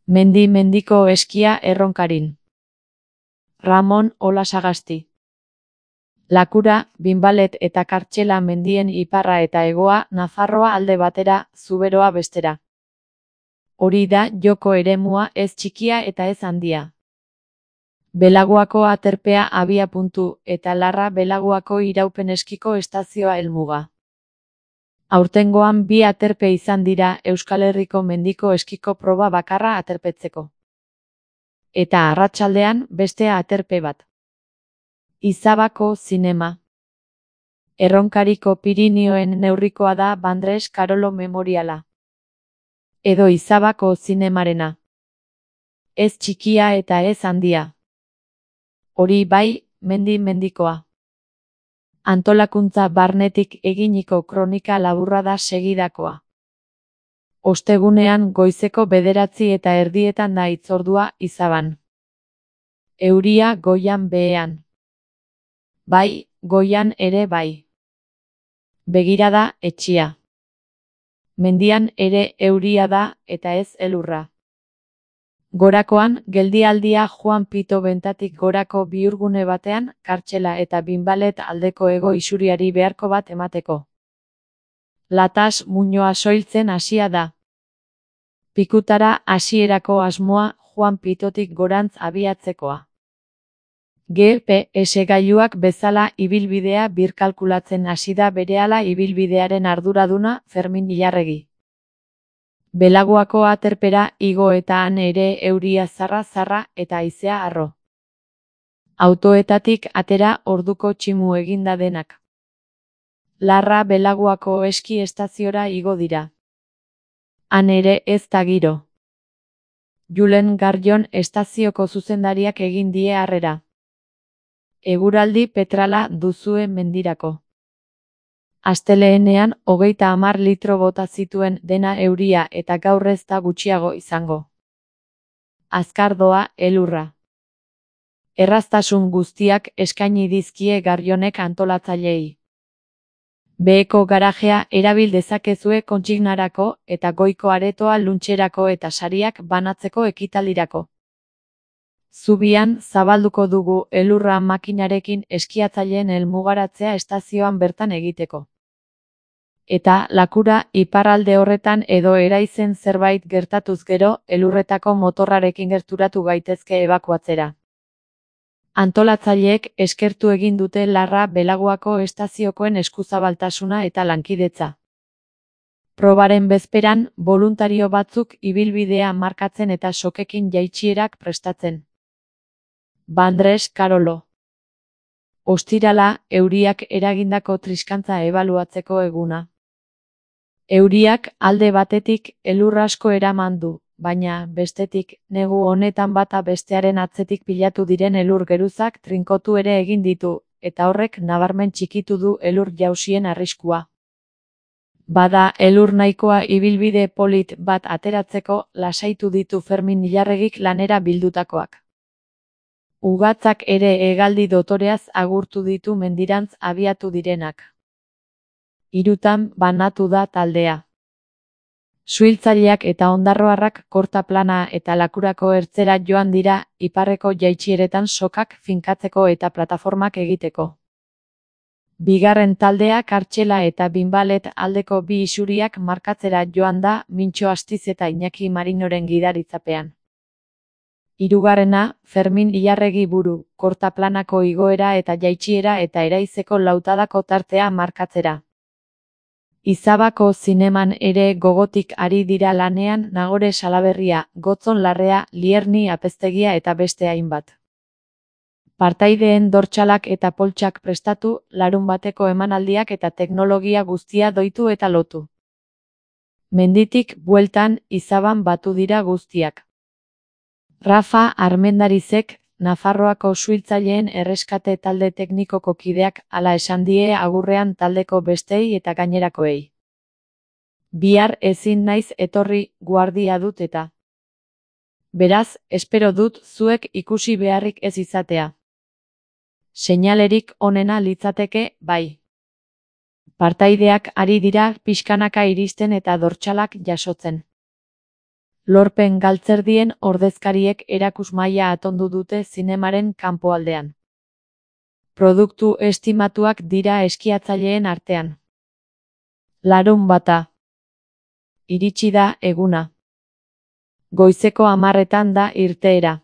Mendiko eskia Erronkarin. Ramon Olasagasti. Lakura, Binbalet eta Kartxela mendien iparra eta hegoa, Nafarroa alde batera, Zuberoa bestera. Hori da joko eremua ez txikia eta ez handia. Belaguako aterpea abiapuntu eta Larra Belaguako iraupen eskiko estazioa helmuga. Aurtengoan bi aterpe izan dira Euskal Herriko mendiko eskiko proba bakarra aterpetzeko. Eta arratsaldean beste aterpe bat. Izabako zinema. Erronkariko Pirinioen neurrikoa da Bandres Karolo Memoriala. Edo Izabako zinemarena. Ez txikia eta ez handia. Hori bai, mendikoa. Antolakuntza barnetik eginiko kronika laburra da segidakoa. Ostegunean goizeko 9:30 da hitzordua Izaban. Euria goian behean. Bai, goian ere bai. Begirada etxia. Mendian ere euria da eta ez elurra. Gorakoan, geldialdia Juan Pito bentatik gorako bihurgune batean, Kartxela eta Binbalet aldeko hego isuriari beharko bat emateko. Latas muinoa soiltzen hasia da. Pikutara hasierako asmoa Juan Pitotik gorantz abiatzekoa. GPS gailuak bezala ibilbidea birkalkulatzen hasi da berehala ibilbidearen arduraduna Fermin Ilarregi. Belaguako aterpera igo eta han ere euria zarra eta haizea harro. Autoetatik atera orduko tximu eginda denak. Larra Belaguako eski estaziora igo dira. Han ere ez da giro. Julen Garjon estazioko zuzendariak egin die harrera. Eguraldi petrala duzue mendirako. Asteleenean 30 litro bota zituen dena euria eta gaur ez da gutxiago izango. Azkardoa elurra. Erraztasun guztiak eskaini dizkie Garjonek antolatzaileei. Beheko garajea erabil dezakezue kontsignarako eta goiko aretoa luntxerako eta sariak banatzeko ekitaldirako. Zubian zabalduko dugu elurra makinarekin eskiatzaileen helmugaratzea estazioan bertan egiteko. Eta Lakura iparralde horretan edo Eraizen zerbait gertatuz gero elurretako motorrarekin gerturatu gaitezke ebakuatzera. Antolatzaileek eskertu egin dute Larra Belaguako estaziokoen eskuzabaltasuna eta lankidetza. Probaren bezperan, boluntario batzuk ibilbidea markatzen eta sokekin jaitsierak prestatzen. Bandres Karolo. Ostirala, euriak eragindako triskantza ebaluatzeko eguna. Euriak alde batetik elur asko eraman du, baina bestetik negu honetan bata bestearen atzetik pilatu diren elur geruzak trinkotu ere egin ditu, eta horrek nabarmen txikitu du elur jausien arriskua. Bada elur nahikoa ibilbide polit bat ateratzeko lasaitu ditu Fermin Ilarregik lanera bildutakoak. Ugatzak ere hegaldi dotoreaz agurtu ditu mendirantz abiatu direnak. 3 banatu da taldea. Suhiltzaileak eta ondarroarrak Kortaplana eta Lakurako ertzera joan dira iparreko jaitsieretan sokak finkatzeko eta plataformak egiteko. Bigarren taldea Kartxela eta Binbalet aldeko bi isuriak markatzera joan da Mintxo Astiz eta Iñaki Marinoren gidaritzapean. Hirugarrena, Fermin Ilarregi buru, Kortaplanako igoera eta jaitsiera eta Eraizeko lautadako tartea markatzera. Izabako zineman ere gogotik ari dira lanean Nagore Salaberria, Gotzon Larrea, Lierni Apeztegia eta beste hainbat. Partaideen dortxalak eta poltsak prestatu, larunbateko emanaldiak eta teknologia guztia doitu eta lotu. Menditik bueltan Izaban batu dira guztiak. Rafa Armendarizek, Nafarroako suhiltzaileen erreskate talde teknikoko kideak hala esan die agurrean taldeko bestei eta gainerakoei. Bihar ezin naiz etorri, guardia dut eta. Beraz, espero dut zuek ikusi beharrik ez izatea. Seinalerik onena litzateke, bai. Partaideak ari dira pixkanaka iristen eta dortxalak jasotzen. Lorpen galtzerdien ordezkariek erakusmaila atondu dute zinemaren kanpoaldean. Produktu estimatuak dira eskiatzaileen artean. Larunbata. Iritsi da eguna. Goizeko 10:00 da irteera.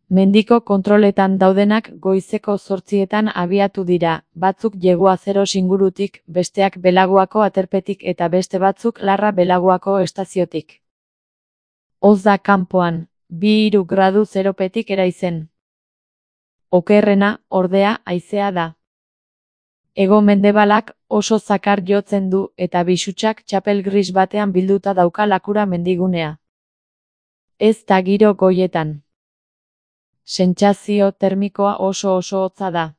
Mendiko kontroletan daudenak goizeko 8:00 abiatu dira, batzuk Jeguazero ingurutik, besteak Belaguako aterpetik eta beste batzuk Larra Belaguako estaziotik. Hotz da kanpoan, 2–3 gradu zeropetik eraizen. Okerrena, ordea, haizea da. Hego-mendebalak oso zakar jotzen du eta bisutsak txapel gris batean bilduta dauka Lakura mendigunea. Ez da giro goietan. Sentsazio termikoa oso hotza da.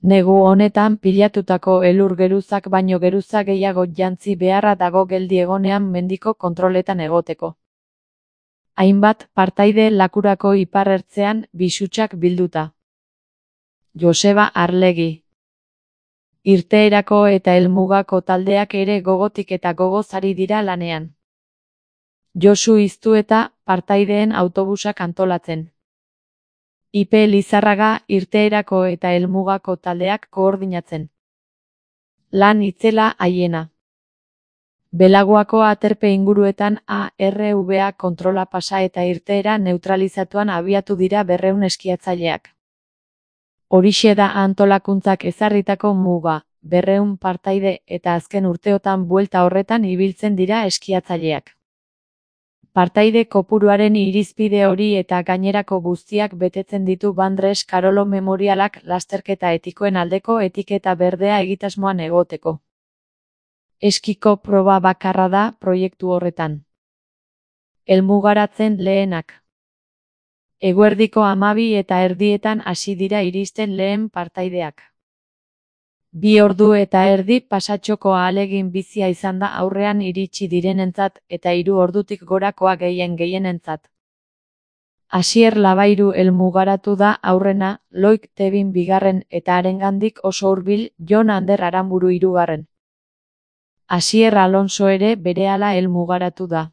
Negu honetan pilatutako elur geruzak baino geruza gehiago jantzi beharra dago geldi egonean mendiko kontroletan egoteko. Hainbat partaide Lakurako iparrertzean bisutsak bilduta. Joseba Arlegi. Irteerako eta helmugako taldeak ere gogotik eta gogoz ari dira lanean. Josu Iztueta partaideen autobusak antolatzen. Ipe Lizarraga irteerako eta helmugako taldeak koordinatzen. Lan itzela haiena. Belaguako aterpe inguruetan ARVA kontrola pasa eta irteera neutralizatuan abiatu dira 200 eskiatzaileak. Horixe da antolakuntzak ezarritako muga, 200 partaide eta azken urteotan buelta horretan ibiltzen dira eskiatzaileak. Partaide kopuruaren irizpide hori eta gainerako guztiak betetzen ditu Bandres Karolo Memorialak lasterketa etikoen aldeko etiketa berdea egitasmoan egoteko. Eskiko proba bakarra da proiektu horretan. Helmugaratzen lehenak. Eguerdiko 12:30 hasi dira iristen lehen partaideak. 2 ordu eta erdi pasatxoko ahalegin bizia izan da aurrean iritsi direnentzat eta 3 ordutik gorakoa gehienentzat. Asier Labairu helmugaratu da aurrena, Loik Tebin 2. eta harengandik oso hurbil Jon Ander Aranburu 3. Asier Alonso ere berehala helmugaratu da.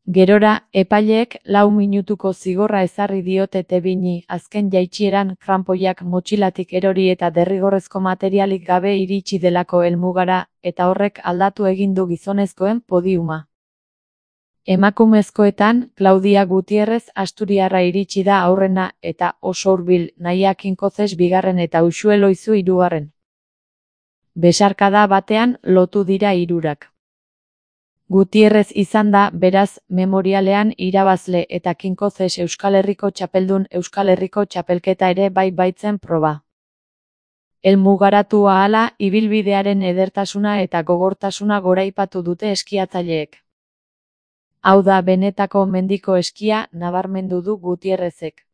Gerora, epaileek 4 minutuko zigorra ezarri diote Tebini azken jaitsieran kranpoiak motxilatik erori eta derrigorrezko materialik gabe iritsi delako helmugara, eta horrek aldatu egin du gizonezkoen podiuma. Emakumezkoetan, Claudia Gutierrez asturiarra iritsi da aurrena eta oso hurbil Naia Kinkozes 2. eta Uxue Loizu 3. Besarkada batean lotu dira hirurak. Gutierrez izan da, beraz, memorialean irabazle eta Kinkozes Euskal Herriko txapeldun Euskal Herriko txapelketa ere baitzen proba. Helmugaratu ahala, ibilbidearen edertasuna eta gogortasuna goraipatu dute eskiatzaileek. Hau da benetako mendiko eskia, nabarmendu du Gutierrezek.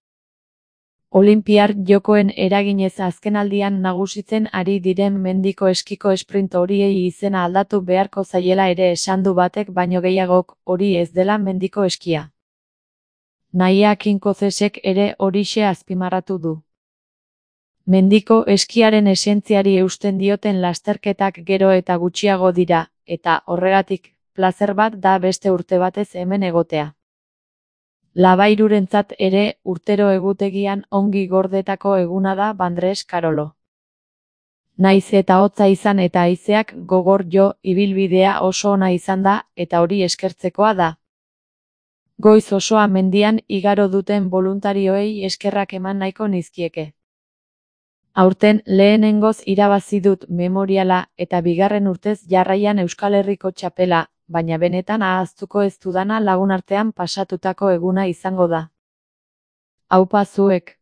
Olinpiar jokoen eraginez azkenaldian nagusitzen ari diren mendiko eskiko sprint horiei izena aldatu beharko zaiela ere esan du batek baino gehiagok, hori ez dela mendiko eskia. Naia Kinkozesek ere horixe azpimarratu du. Mendiko eskiaren esentziari eusten dioten lasterketak gero eta gutxiago dira, eta horregatik, plazer bat da beste urte batez hemen egotea. Labairurentzat ere urtero egutegian ongi gordetako eguna da Bandres Karolo. Naiz eta hotza izan eta haizeak gogor jo, ibilbidea oso ona izan da eta hori eskertzekoa da. Goiz osoa mendian igaro duten boluntarioei eskerrak eman nahiko nizkieke. Aurten lehenengoz irabazi dut memoriala eta 2. urtez jarraian Euskal Herriko txapela, baina benetan ahaztuko ez dudana lagunartean pasatutako eguna izango da. Aupa zuek.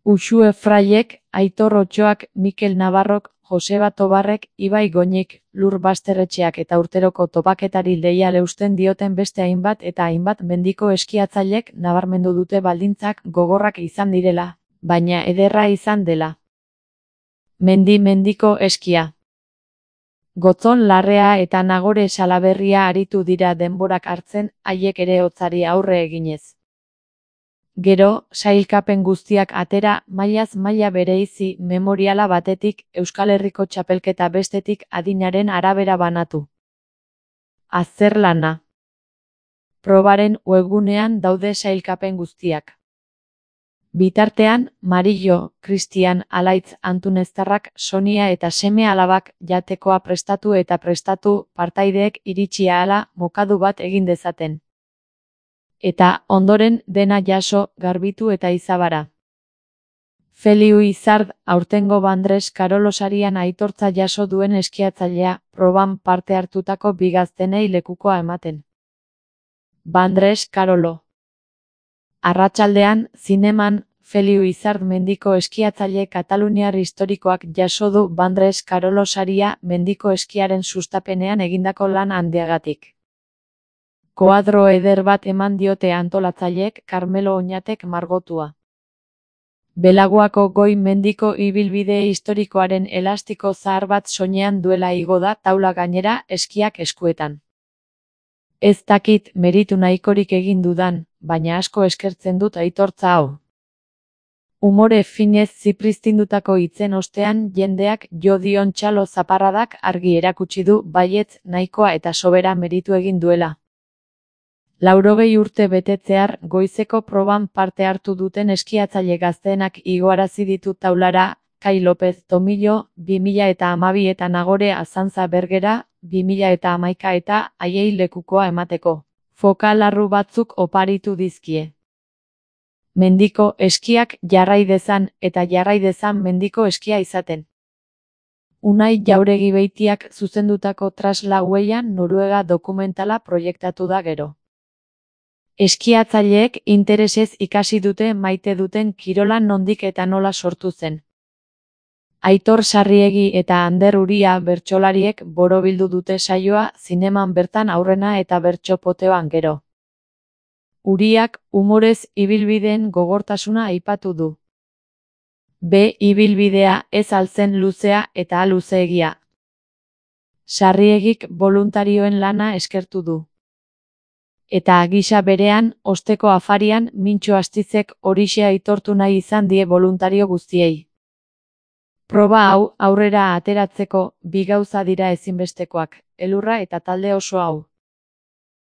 Uxue Fraiek, Aitor Otxoak, Mikel Navarrok, Joseba Tobarrek, Ibai Goñik, Lur Basterretxeak eta urteroko topaketari leial eusten dioten beste hainbat eta hainbat mendiko eskiatzailek nabarmendu dute baldintzak gogorrak izan direla, baina ederra izan dela. Mendiko eskia. Gotzon Larrea eta Nagore Salaberria aritu dira denborak hartzen, haiek ere hotzari aurre eginez. Gero, sailkapen guztiak atera, mailaz maila bereizi memoriala batetik, Euskal Herriko txapelketa bestetik adinaren arabera banatu. Azterlana. Probaren webgunean daude sailkapen guztiak. Bitartean, Marillo, Cristian, Alaitz, Antuneztarrak, Sonia eta seme alabak jatekoa prestatu partaideek iritsi ahala mokadu bat egin dezaten. Eta, ondoren, dena jaso, garbitu eta izabara. Feliu Izard, aurtengo Bandres Karolo sarian aitortza jaso duen eskiatzailea, proban parte hartutako bi gaztenei lekukoa ematen. Bandres Karolo. Arratsaldean, zineman, Feliu Izard mendiko eskiatzaile kataluniar historikoak jaso du Bandres Karolo saria mendiko eskiaren sustapenean egindako lan handiagatik. Koadro eder bat eman diote antolatzaileek Karmelo Oñatek margotua. Belaguako goi mendiko ibilbide historikoaren elastiko zahar bat soinean duela igo da taula gainera eskiak eskuetan. Ez dakit meritu nahikorik egin dudan, baina asko eskertzen dut aitortza hau. Umore finez zipristindutako hitzen ostean jendeak jo dion txalo zaparradak argi erakutsi du baietz nahikoa eta sobera meritu egin duela. 80 urte betetzear goizeko proban parte hartu duten eskiatzaile gazteenak igoarazi ditu taulara, Kai López Tomillo, 2012 eta Nagore Azantza Bergera, 2011 eta haiei lekukoa emateko. Foka larru batzuk oparitu dizkie. Mendiko eskiak jarrai dezan eta jarrai dezan mendiko eskia izaten. Unai Jauregi Beitiak zuzendutako Trasla Huellan Noruega dokumentala proiektatu da gero. Eskiatzaileek interesez ikasi dute maite duten kirola nondik eta nola sortu zen. Aitor Sarriegi eta Ander Uria bertsolariek borobildu dute saioa zineman bertan aurrena eta bertsopoteoan gero. Uriak umorez ibilbideen gogortasuna aipatu du. Ibilbidea ez altzen luzea eta luzeegia. Sarriegik boluntarioen lana eskertu du. Eta gisa berean, osteko afarian, Mintxo Astizek horixe aitortu nahi izan die boluntario guztiei. Proba hau aurrera ateratzeko bi gauza dira ezinbestekoak, elurra eta talde oso hau.